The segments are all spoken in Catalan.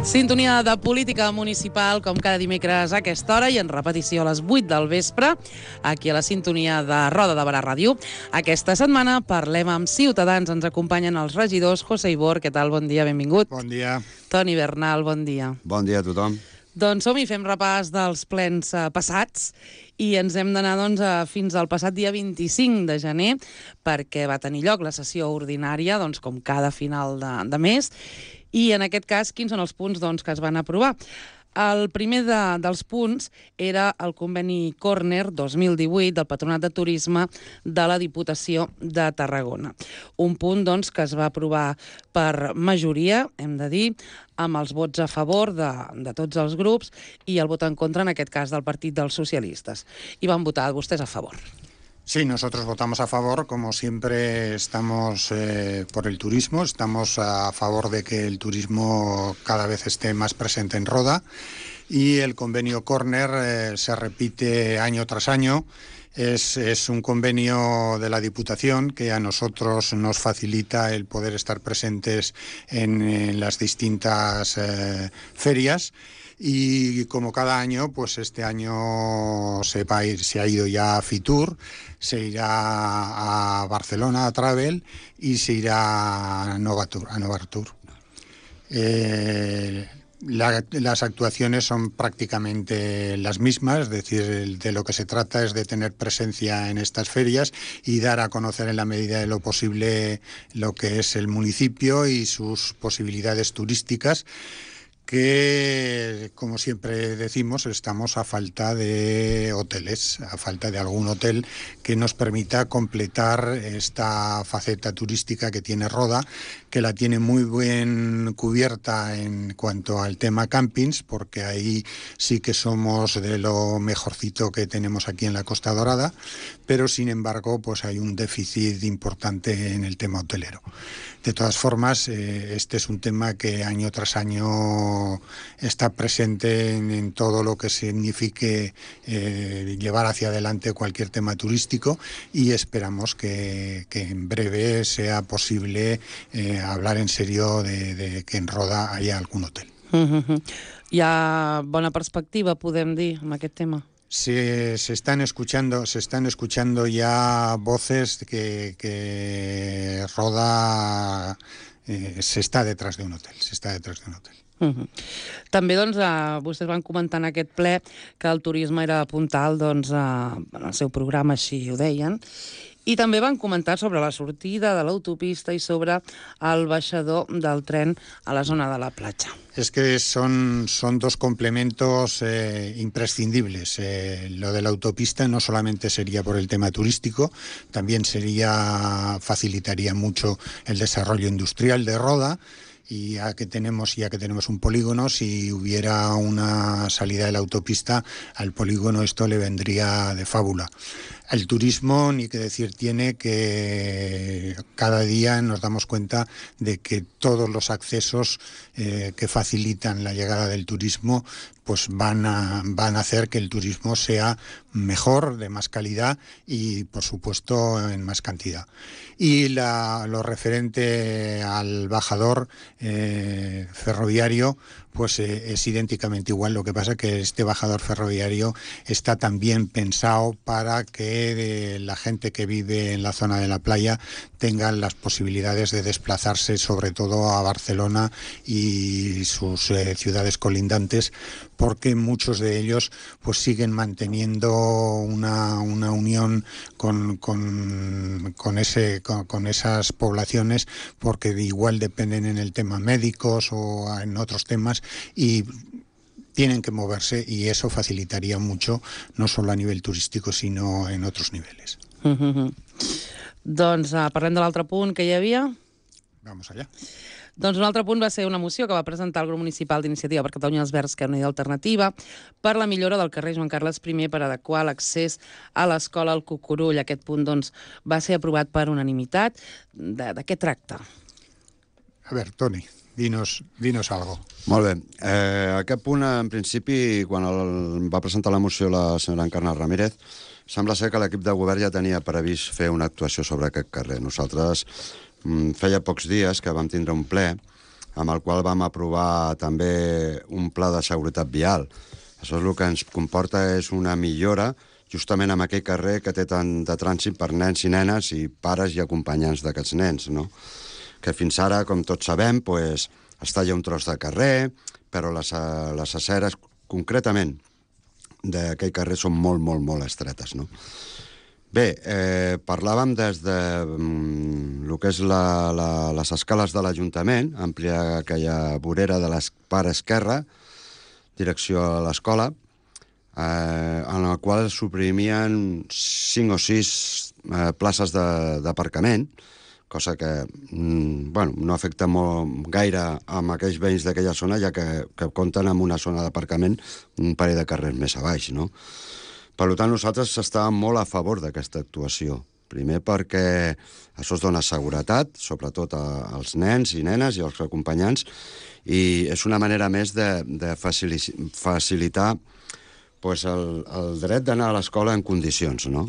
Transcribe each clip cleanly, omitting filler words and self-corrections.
Sintonia de política municipal, com cada dimecres a aquesta hora i en repetició a les 8 del vespre, aquí a la sintonia de Roda de Barà Ràdio. Aquesta setmana parlem amb Ciutadans. Ens acompanyen els regidors. José Ibor, què tal? Bon dia, benvingut. Bon dia. Toni Bernal, bon dia. Bon dia a tothom. Doncs som-hi, fem repàs dels plens passats i ens hem d'anar fins al passat dia 25 de gener perquè va tenir lloc la sessió ordinària, com cada final de mes. I en aquest cas, quins són els punts que es van aprovar? El primer dels punts era el conveni Corner 2018 del Patronat de Turisme de la Diputació de Tarragona. Un punt que es va aprovar per majoria, hem de dir, amb els vots a favor de tots els grups i el vot en contra, en aquest cas, del Partit dels Socialistes. I van votar vostès a favor. Sí, nosotros votamos a favor. Como siempre estamos por el turismo, estamos a favor de que el turismo cada vez esté más presente en Roda y el convenio Corner se repite año tras año. Es un convenio de la Diputación que a nosotros nos facilita el poder estar presentes en las distintas ferias. Y como cada año, pues este año se ha ido ya a Fitur, se irá a Barcelona a Travel y se irá a Novatur. Las actuaciones son prácticamente las mismas, es decir, de lo que se trata es de tener presencia en estas ferias y dar a conocer en la medida de lo posible lo que es el municipio y sus posibilidades turísticas, que, como siempre decimos, estamos a falta de hoteles, a falta de algún hotel que nos permita completar esta faceta turística que tiene Roda, que la tiene muy bien cubierta en cuanto al tema campings, porque ahí sí que somos de lo mejorcito que tenemos aquí en la Costa Dorada, pero sin embargo pues hay un déficit importante en el tema hotelero. De todas formas, este es un tema que año tras año está presente en todo lo que signifique llevar hacia adelante cualquier tema turístico y esperamos que en breve sea posible hablar en serio de que en Roda haya algún hotel. Hi ha bona perspectiva, podem dir, amb aquest tema? Se están escuchando ya voces que Roda se está detrás de un hotel. També vostès van comentar en aquest ple que el turisme era puntal en el seu programa, així ho deien, i també van comentar sobre la sortida de l'autopista y sobre el baixador del tren a la zona de la platja. Es que son dos complementos imprescindibles. Lo de la autopista no solamente sería por el tema turístico, también facilitaría mucho el desarrollo industrial de Roda. Y ya que tenemos un polígono, si hubiera una salida de la autopista, al polígono esto le vendría de fábula. El turismo, ni que decir tiene, que cada día nos damos cuenta de que todos los accesos que facilitan la llegada del turismo pues van a hacer que el turismo sea mejor, de más calidad y, por supuesto, en más cantidad. Y lo referente al bajador ferroviario, pues es idénticamente igual. Lo que pasa es que este bajador ferroviario está también pensado para que la gente que vive en la zona de la playa tengan las posibilidades de desplazarse, sobre todo a Barcelona y sus ciudades colindantes, porque muchos de ellos pues siguen manteniendo una unión con esas poblaciones, porque igual dependen en el tema médicos o en otros temas y tienen que moverse, y eso facilitaría mucho, no solo a nivel turístico, sino en otros niveles. Doncs parlem de l'altre punt que hi havia. Vamos allá. Doncs un altre punt va ser una moció que va presentar el grup municipal d'Iniciativa per Catalunya els Verds, Esquerra Unida i Alternativa, per la millora del carrer Joan Carles I per adequar l'accés a l'escola al Cucurull. Aquest punt va ser aprovat per unanimitat. De què tracta? A ver, Toni, dinos algo. Molt bé. Aquest punt, en principi, quan va presentar la moció la senyora Encarna Ramírez, sembla ser que l'equip de govern ja tenia previst fer una actuació sobre aquest carrer. Nosaltres feia pocs dies que vam tindre un ple amb el qual vam aprovar també un pla de seguretat vial. Això és el que ens comporta és una millora justament en aquell carrer que té tant de trànsit per nens i nenes i pares i acompanyants d'aquests nens, no? Que fins ara, com tots sabem, pues, està allà un tros de carrer, però les aceres, concretament, d'aquell carrer són molt, molt, molt estretes, no? Bé, parlàvem des de el que és les escales de l'Ajuntament, ampliar aquella vorera de la part esquerra, direcció a l'escola, en la qual suprimien 5 o 6 places d'aparcament, cosa que no afecta molt gaire amb aquells veïns d'aquella zona, ja que compten amb una zona d'aparcament un parell de carrers més a baix, no? Per tant, nosaltres estàvem molt a favor d'aquesta actuació. Primer perquè això es dona seguretat, sobretot als nens i nenes i als acompanyants, i és una manera més de facilitar pues, el dret d'anar a l'escola en condicions, no?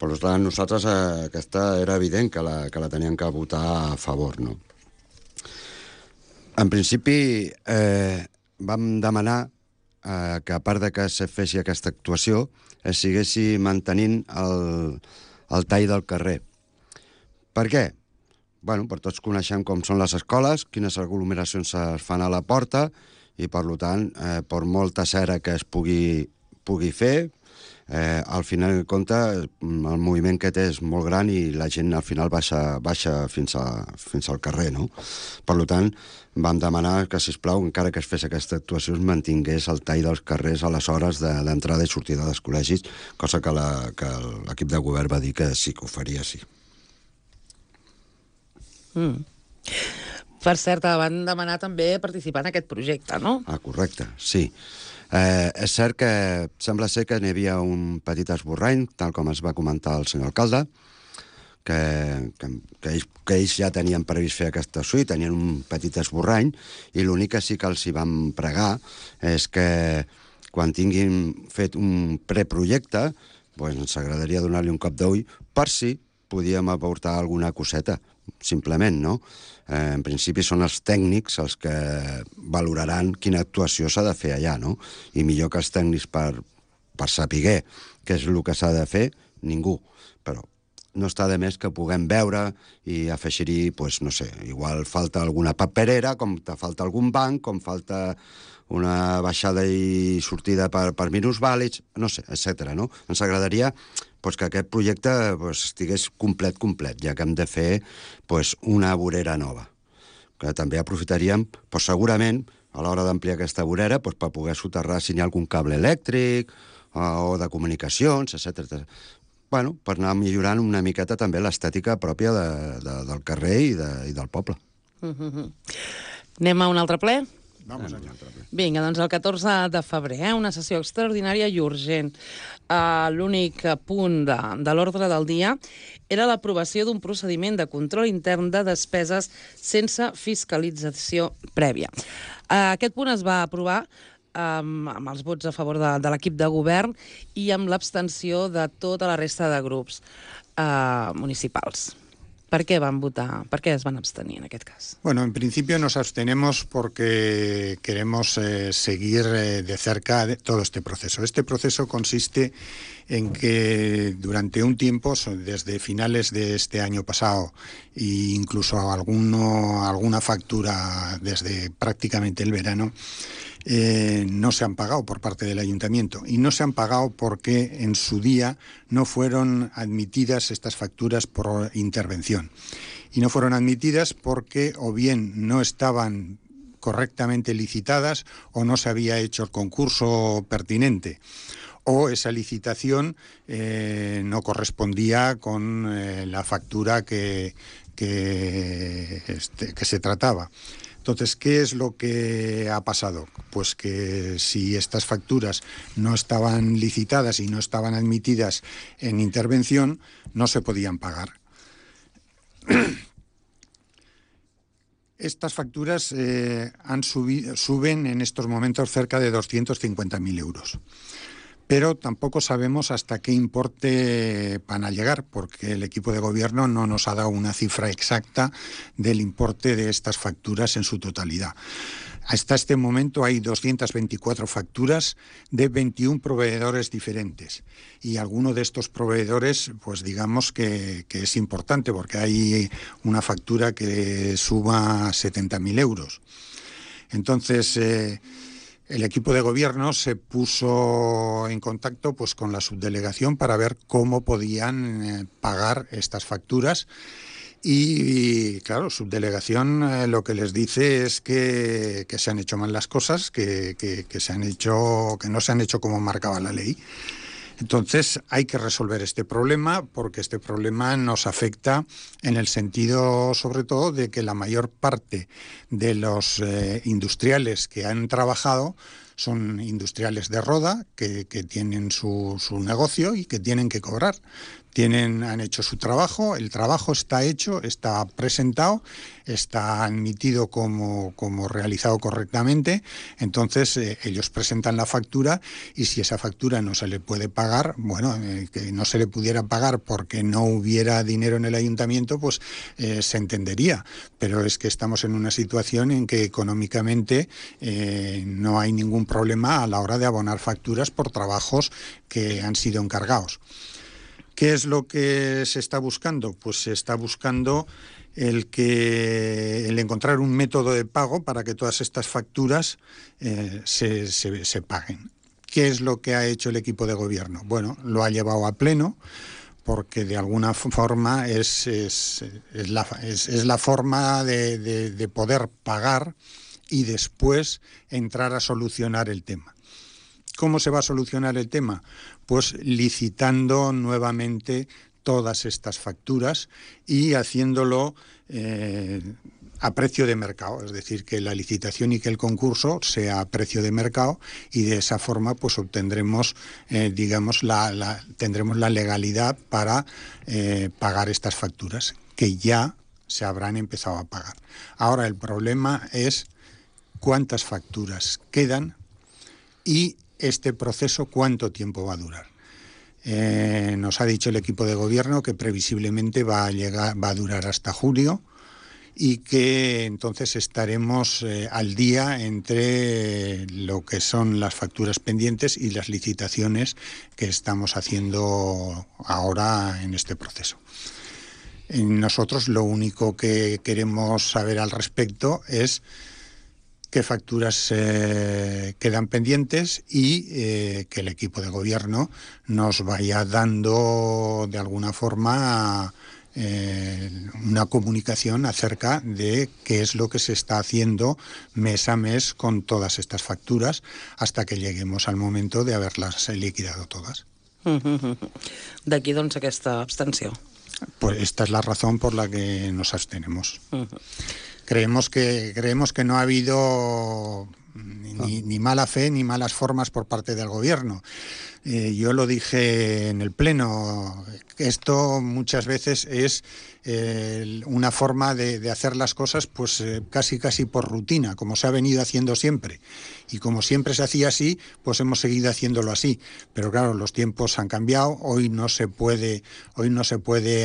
Per tant, nosaltres aquesta era evident que la teníem que votar a favor, no? En principi, vam demanar que a part de que se fes aquesta actuació, es segueixi mantenint el tall del carrer. Per què? Bueno, per tots coneixem com són les escoles, quines aglomeracions es fan a la porta, i per tant, per molta cera que es pugui fer, al final de compte el moviment que té és molt gran i la gent al final baixa fins al carrer, no? Per tant, vam demanar que, sisplau, encara que es fes aquesta actuació, es mantingués el tall dels carrers a les hores d'entrada i sortida dels col·legis, cosa que l'equip de govern va dir que sí que ho faria, sí. Per cert, van demanar també participar en aquest projecte, no? Correcte, sí. És cert que sembla ser que n'hi havia un petit esborrany, tal com es va comentar el senyor alcalde, que ells ja tenien previst fer aquesta actuació i tenien un petit esborrany, i l'únic que sí que els hi vam pregar és que quan tinguin fet un preprojecte, doncs ens agradaria donar-li un cop d'ull per si podíem aportar alguna coseta, simplement, no? En principi són els tècnics els que valoraran quina actuació s'ha de fer allà, no? I millor que els tècnics per saber què és el que s'ha de fer, ningú. Però no està de més que puguem veure i afegir-hi, doncs, no sé, igual falta alguna paperera, com te falta algun banc, com falta una baixada i sortida per minusvàlids, no sé, etc. No? Ens agradaria que aquest projecte estigués complet, ja que hem de fer una vorera nova. Que també aprofitaríem, segurament, a l'hora d'ampliar aquesta vorera, per poder soterrar si hi ha algun cable elèctric o de comunicacions, etc. Bueno, per anar millorant una miqueta també l'estètica pròpia del carrer i del poble. Anem a un altre ple? Vamos allá. Vinga, doncs el 14 de febrer, una sessió extraordinària i urgent. L'únic punt de l'ordre del dia era l'aprovació d'un procediment de control intern de despeses sense fiscalització prèvia. Aquest punt es va aprovar amb els vots a favor de l'equip de govern i amb l'abstenció de tota la resta de grups municipals. ¿Por qué van votar? ¿Por qué es van abstenir en aquest cas? Bueno, en principio nos abstenemos porque queremos seguir de cerca todo este proceso. Este proceso consiste en que durante un tiempo, desde finales de este año pasado e incluso alguna factura desde prácticamente el verano, no se han pagado por parte del ayuntamiento, y no se han pagado porque en su día no fueron admitidas estas facturas por intervención, y no fueron admitidas porque o bien no estaban correctamente licitadas o no se había hecho el concurso pertinente, o esa licitación no correspondía con la factura que se trataba. Entonces, ¿qué es lo que ha pasado? Pues que si estas facturas no estaban licitadas y no estaban admitidas en intervención, no se podían pagar. Estas facturas suben en estos momentos cerca de 250.000 euros. pero tampoco sabemos hasta qué importe van a llegar, porque el equipo de gobierno no nos ha dado una cifra exacta del importe de estas facturas en su totalidad. Hasta este momento hay 224 facturas de 21 proveedores diferentes, y alguno de estos proveedores, pues digamos que es importante, porque hay una factura que suma 70.000 euros. Entonces, el equipo de gobierno se puso en contacto pues con la subdelegación para ver cómo podían pagar estas facturas. Y claro, subdelegación lo que les dice es que se han hecho mal las cosas, que no se han hecho como marcaba la ley. Entonces hay que resolver este problema, porque este problema nos afecta en el sentido, sobre todo, de que la mayor parte de los industriales que han trabajado son industriales de Roda, que tienen su negocio y que tienen que cobrar. Han hecho su trabajo, el trabajo está hecho, está presentado, está admitido como realizado correctamente. Entonces ellos presentan la factura, y si esa factura no se le puede pagar, que no se le pudiera pagar porque no hubiera dinero en el ayuntamiento, pues se entendería. Pero es que estamos en una situación en que económicamente no hay ningún problema a la hora de abonar facturas por trabajos que han sido encargados. ¿Qué es lo que se está buscando? Pues se está buscando el encontrar un método de pago para que todas estas facturas se paguen. ¿Qué es lo que ha hecho el equipo de gobierno? Bueno, lo ha llevado a pleno, porque de alguna forma es la forma de poder pagar y después entrar a solucionar el tema. ¿Cómo se va a solucionar el tema? Pues licitando nuevamente todas estas facturas y haciéndolo a precio de mercado, es decir, que la licitación y que el concurso sea a precio de mercado, y de esa forma pues obtendremos, tendremos la legalidad para pagar estas facturas, que ya se habrán empezado a pagar. Ahora el problema es cuántas facturas quedan y este proceso cuánto tiempo va a durar. Nos ha dicho el equipo de gobierno que previsiblemente va a durar hasta julio, y que entonces estaremos al día entre lo que son las facturas pendientes y las licitaciones que estamos haciendo ahora en este proceso. Nosotros lo único que queremos saber al respecto es qué facturas quedan pendientes, y que el equipo de gobierno nos vaya dando de alguna forma una comunicación acerca de qué es lo que se está haciendo mes a mes con todas estas facturas, hasta que lleguemos al momento de haberlas liquidado todas. D'aquí, doncs, aquesta abstenció. Pues esta es la razón por la que nos abstenemos. Creemos que no ha habido ni mala fe ni malas formas por parte del gobierno. Yo lo dije en el pleno, esto muchas veces es una forma de hacer las cosas pues casi por rutina, como se ha venido haciendo siempre. Y como siempre se hacía así, pues hemos seguido haciéndolo así. Pero claro, los tiempos han cambiado, hoy no se puede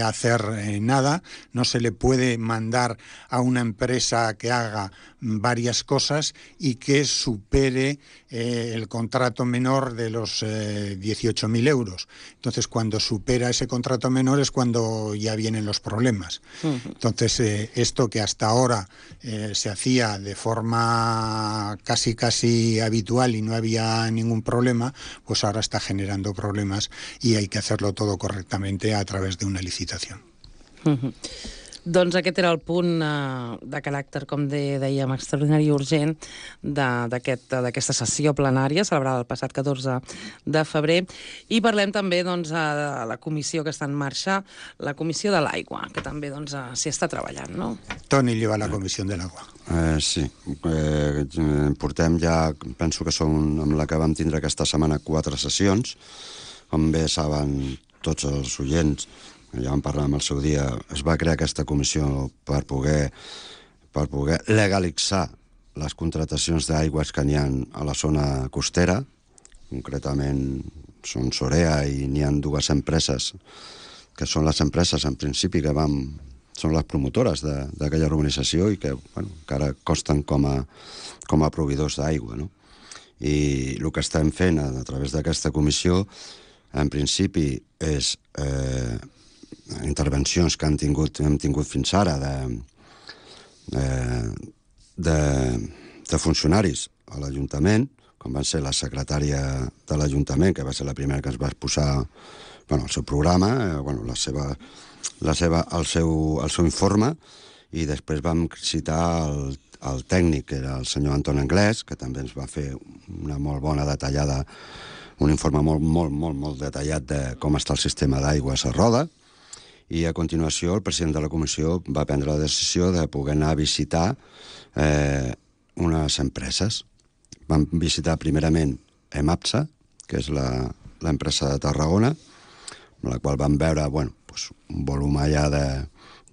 hacer nada, no se le puede mandar a una empresa que haga varias cosas y que supere el contrato menor de los 18.000 euros. Entonces, cuando supera ese contrato menor es cuando ya vienen los problemas. Entonces, esto que hasta ahora se hacía de forma casi habitual y no había ningún problema, pues ahora está generando problemas, y hay que hacerlo todo correctamente a través de una licitación. Doncs aquest era el punt de caràcter, com dèiem, extraordinari i urgent d'aquesta sessió plenària celebrada el passat 14 de febrer. I parlem també de la comissió que està en marxa, la Comissió de l'Aigua, que també s'hi està treballant, no? Toni lleva la Comissió de l'Aigua. Sí, portem ja, penso que són amb la que vam tindre aquesta setmana 4 sessions. Com bé saben tots els oients, ja vam parlar amb el seu dia, es va crear aquesta comissió per poder legalitzar les contratacions d'aigües que n'hi ha a la zona costera, concretament són Sorea i n'hi ha dues empreses que són les empreses, en principi, que són les promotores d'aquella urbanització i que encara costen com a proveïdors d'aigua, no? I el que estem fent a través d'aquesta comissió, en principi, és intervencions que hem tingut fins ara de funcionaris a l'Ajuntament, com van ser la secretària de l'Ajuntament, que va ser la primera que es va exposar el seu programa, el seu informe, i després vam citar el tècnic, que era el senyor Anton Anglès, que també ens va fer una molt bona detallada, un informe molt detallat de com està el sistema d'aigües a Roda, i a continuació el president de la comissió va prendre la decisió de poder anar a visitar unes empreses. Vam visitar primerament EMAPSA, que és l'empresa de Tarragona, amb la qual vam veure un volum allà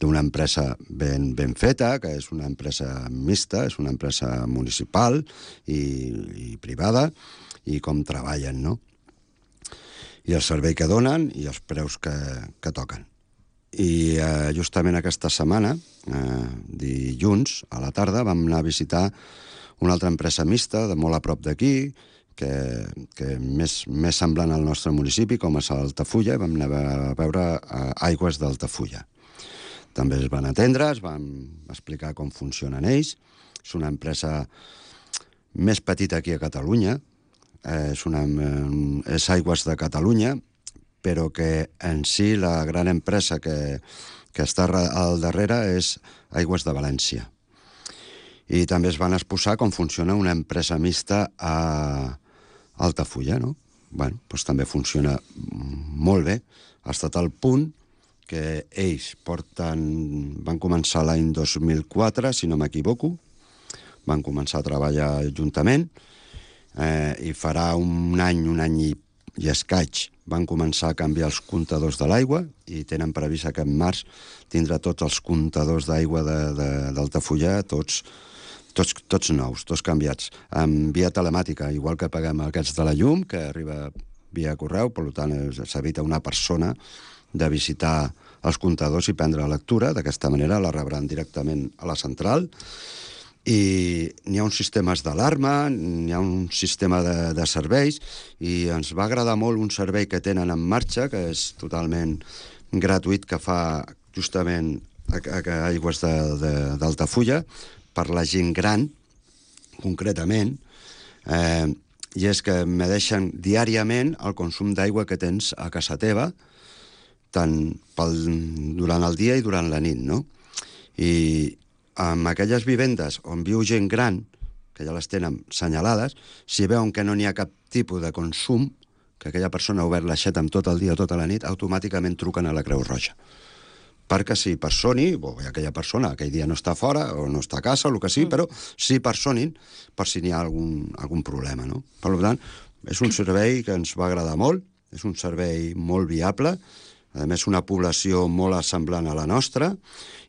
d'una empresa ben feta, que és una empresa mixta, és una empresa municipal i privada, i com treballen, no? I el servei que donen i els preus que toquen. I justament aquesta setmana, dilluns a la tarda, vam anar a visitar una altra empresa mixta, de molt a prop d'aquí, que més semblant al nostre municipi, com és Altafulla, vam anar a veure aigües d'Altafulla. També es van atendre, es van explicar com funcionen ells. És una empresa més petita aquí a Catalunya, és Aigües de Catalunya, però que en si la gran empresa que està al darrere és Aigües de València. I també es van exposar com funciona una empresa mixta a Altafulla, no? Doncs també funciona molt bé, ha estat al punt que ells van començar l'any 2004, si no m'equivoco, van començar a treballar juntament, i farà un any i escaig van començar a canviar els comptadors de l'aigua i tenen previst que en març tindrà tots els comptadors d'aigua d'Altafulla, tots nous, tots canviats, amb via telemàtica, igual que paguem aquests de la llum, que arriba via correu, per tant s'evita una persona de visitar els comptadors i prendre la lectura. D'aquesta manera la rebran directament a la central. I n'hi ha uns sistemes d'alarma, n'hi ha un sistema de serveis, i ens va agradar molt un servei que tenen en marxa, que és totalment gratuït, que fa justament Aigües d'Altafulla, per la gent gran, concretament, i és que medeixen diàriament el consum d'aigua que tens a casa teva, tant durant el dia i durant la nit, no? I en aquelles vivendes on viu gent gran, que ja les tenen senyalades, si veuen que no n'hi ha cap tipus de consum, que aquella persona ha obert l'aixeta amb tot el dia o tota la nit, automàticament truquen a la Creu Roja. Perquè si personi, aquella persona aquell dia no està fora, o no està a casa, o el que sigui, però si personin, per si n'hi ha algun problema, no? Per tant, és un servei que ens va agradar molt, és un servei molt viable, a més una població molt semblant a la nostra,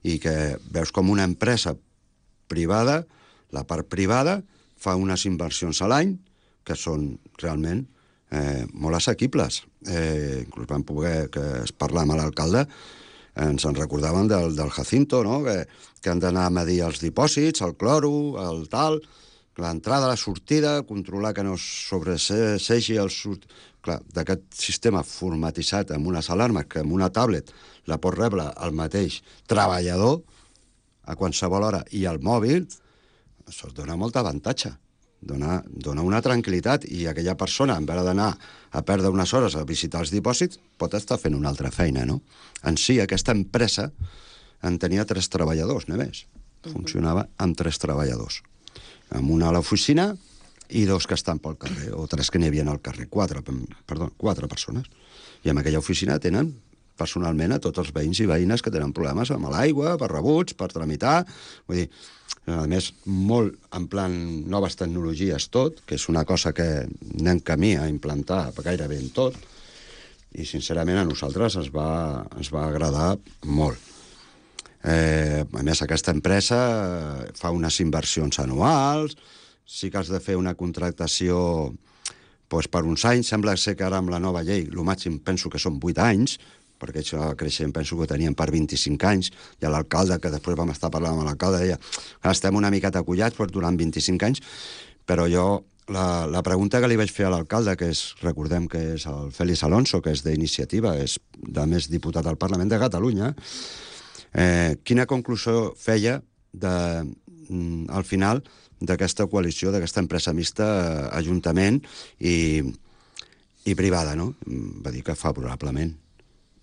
i que veus com una empresa privada, la part privada, fa unes inversions a l'any que són realment molt assequibles. Inclús vam poder parlar amb l'alcalde, ens en recordaven del Jacinto, no? Que han d'anar a medir els dipòsits, el cloro, el tal, l'entrada, la sortida, controlar que no sobresegi el Clar, d'aquest sistema formatitzat amb unes alarmes que amb una tablet la pot rebre el mateix treballador a qualsevol hora i al mòbil, això es dona molt avantatge, dona una tranquil·litat, i aquella persona, en vez d'anar a perdre unes hores a visitar els dipòsits, pot estar fent una altra feina, no? En si, aquesta empresa en tenia 3 treballadors, només. Funcionava amb 3 treballadors. Amb una a l'oficina i 2 que estan pel carrer, o 3 que n'hi havia al carrer, 4 persones. I en aquella oficina tenen personalment a tots els veïns i veïnes que tenen problemes amb l'aigua, per rebuts, per tramitar. Vull dir, a més, molt en plan noves tecnologies tot, que és una cosa que anem camí a implantar gairebé en tot, i sincerament a nosaltres ens va agradar molt. A més, aquesta empresa fa unes inversions anuals, sí que has de fer una contractació doncs per uns anys, sembla ser que ara amb la nova llei, el màxim penso que són 8 anys, perquè això creixent penso que ho tenien per 25 anys, i l'alcalde, que després vam estar parlant amb l'alcalde, deia que estem una miqueta acollats durant 25 anys, però jo, la pregunta que li vaig fer a l'alcalde, que és, recordem que és el Félix Alonso, que és d'Iniciativa, és de més diputat al Parlament de Catalunya, quina conclusió feia al final d'aquesta coalició, d'aquesta empresa mixta, Ajuntament i privada, no? Va dir que favorablement.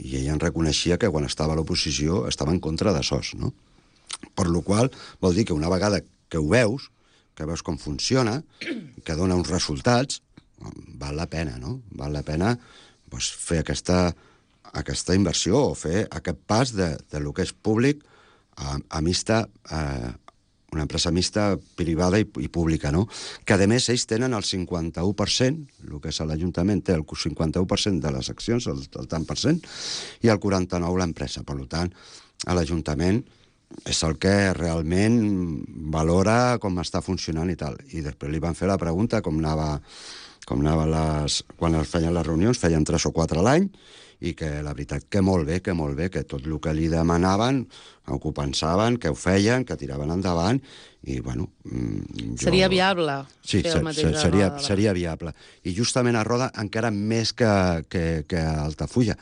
I ell en reconeixia que quan estava a l'oposició estava en contra de SOS, no? Per la qual vol dir que una vegada que ho veus, que veus com funciona, que dona uns resultats, val la pena, no? Val la pena fer aquesta inversió o fer aquest pas de lo que és públic a mixta, una empresa mixta privada i pública, no? Que, a més, ells tenen el 51%, el que és l'Ajuntament té el 51% de les accions, el tant per cent, i el 49% l'empresa. Per tant, l'Ajuntament és el que realment valora com està funcionant i tal. I després li van fer la pregunta quan es feien les reunions, feien 3 o 4 a l'any, i que la veritat que molt bé, que tot el que li demanaven ho pensaven, que ho feien, que tiraven endavant, i bueno... Seria viable? Sí, seria viable. I justament a Roda encara més que a Altafulla,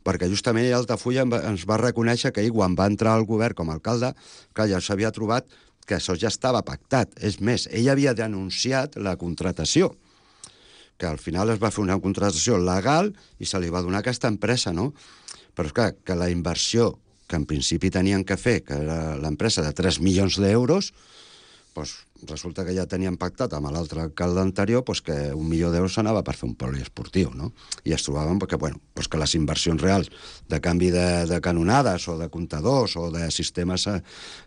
perquè justament a Altafulla ens va reconèixer que ell, quan va entrar al govern com a alcalde, que ja s'havia trobat que això ja estava pactat. És més, ell havia denunciat la contratació, que al final es va fer una contratació legal i se li va donar aquesta empresa, no? Però és clar, que la inversió que en principi tenien que fer, que era l'empresa de 3 milions d'euros, doncs resulta que ja tenien pactat amb l'altre alcalde anterior que 1 milió d'euros s'anava per fer un poliesportiu, no? I es trobaven que les inversions reals de canvi de canonades o de comptadors o de sistemes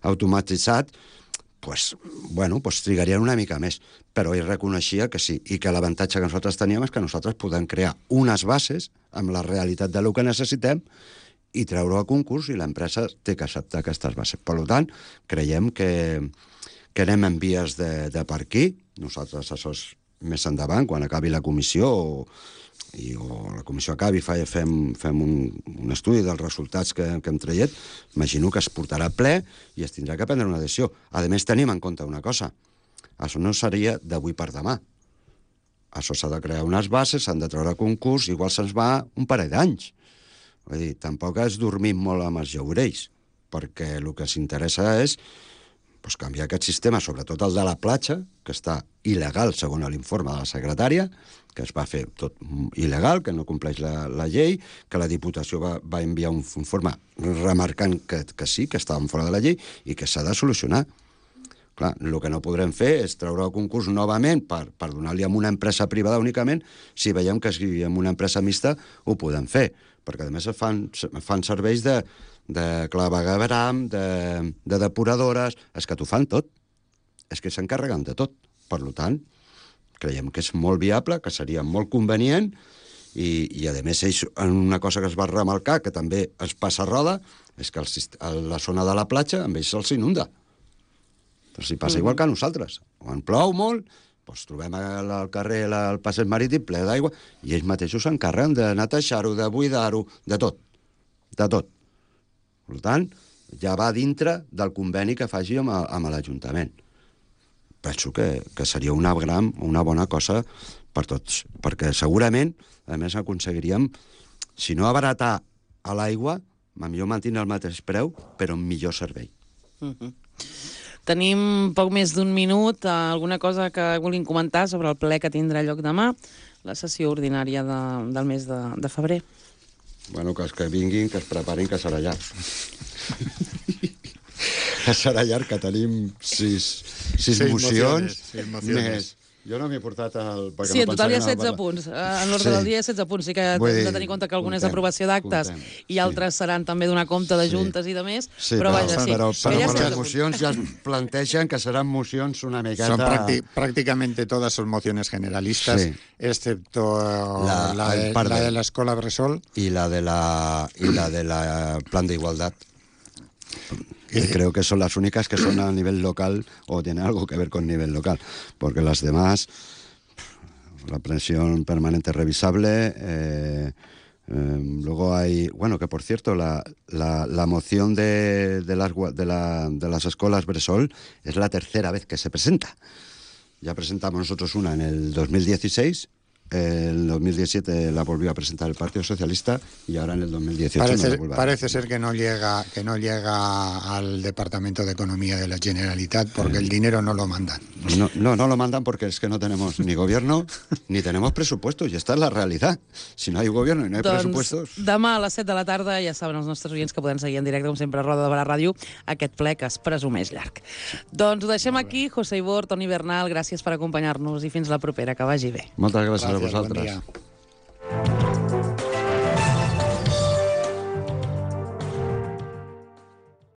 automatitzats trigarien una mica més, però ell reconeixia que sí, i que l'avantatge que nosaltres teníem és que nosaltres podem crear unes bases amb la realitat del que necessitem i treure-ho a concurs, i l'empresa té que acceptar aquestes bases. Per tant, creiem que anem en vies de per aquí. Nosaltres, això és més endavant, quan acabi la comissió o la comissió acabi, fem un estudi dels resultats que hem tret, imagino que es portarà a ple i es tindrà que prendre una decisió. A més, tenim en compte una cosa. Això no seria d'avui per demà. Això s'ha de crear unes bases, s'han de treure a concurs, igual se'ns va un parell d'anys. Vull dir, tampoc es dormim molt amb els llaurells, perquè el que s'interessa és canviar aquest sistema, sobretot el de la platja, que està il·legal, segons l'informe de la secretària, que es va fer tot il·legal, que no compleix la llei, que la Diputació va enviar un informe remarcant que sí, que estàvem fora de la llei i que s'ha de solucionar. Clar, el que no podrem fer és treure el concurs novament per donar-li a una empresa privada únicament. Si veiem que amb una empresa mixta ho podem fer, perquè a més fan serveis de clavegueram, de depuradores, és que t'ho fan tot. És que s'encarreguen de tot. Per tant, creiem que és molt viable, que seria molt convenient, i a més, ells, una cosa que es va remarcar, que també es passa a Roda, és que la zona de la platja, amb ells se'ls inunda. Però si passa igual que a nosaltres. Quan plou molt, trobem al carrer el passeig marítim ple d'aigua, i ells mateixos s'encarreguen de netejar-ho, de buidar-ho, de tot. De tot. Per tant, ja va dintre del conveni que faci amb l'Ajuntament. Penso que seria una bona cosa per tots, perquè segurament, a més, aconseguiríem, si no abaratar a l'aigua, millor mantenir el mateix preu, però un millor servei. Tenim poc més d'un minut. Alguna cosa que vulguin comentar sobre el ple que tindrà lloc demà, la sessió ordinària del mes de febrer? Bueno, que els que vinguin, que es preparin, que serà llarg. Que serà llarg, que tenim sis mocions. Més. Jo no m'he portat el... Sí, en total hi ha 16 punts. En l'ordre del dia hi ha 16 punts. Sí que hem de tenir en compte que alguna és aprovació d'actes i altres seran també donar compte de juntes i de més. Però les mocions ja es plantegen que seran mocions una miqueta... Prácticamente todas son mociones generalistas, excepto la de la Escola Bressol. Y la de la Plan de Igualdad. Creo que son las únicas que son a nivel local o tienen algo que ver con nivel local, porque las demás la pensión permanente revisable. Luego hay, bueno, que por cierto, la moción de las escuelas Bressol es la tercera vez que se presenta. Ya presentamos nosotros una en el 2016, en 2017 la volvió a presentar el Partido Socialista y ahora en el 2018 parece ser que no llega al Departamento de Economía de la Generalitat porque el dinero no lo mandan. No lo mandan porque es que no tenemos ni gobierno ni tenemos presupuestos, y esta es la realidad. Si no hay gobierno y no hay pressupostos... Demà a les 7 de la tarda ja saben els nostres oients que poden seguir en directe, com sempre, a Roda de Barà Ràdio, aquest ple que es presumeix llarg. Doncs ho deixem aquí. José Ibor, Toni Bernal, gràcies per acompanyar-nos i fins la propera, que vagi bé. Moltes gràcies a vosaltres. Bon dia.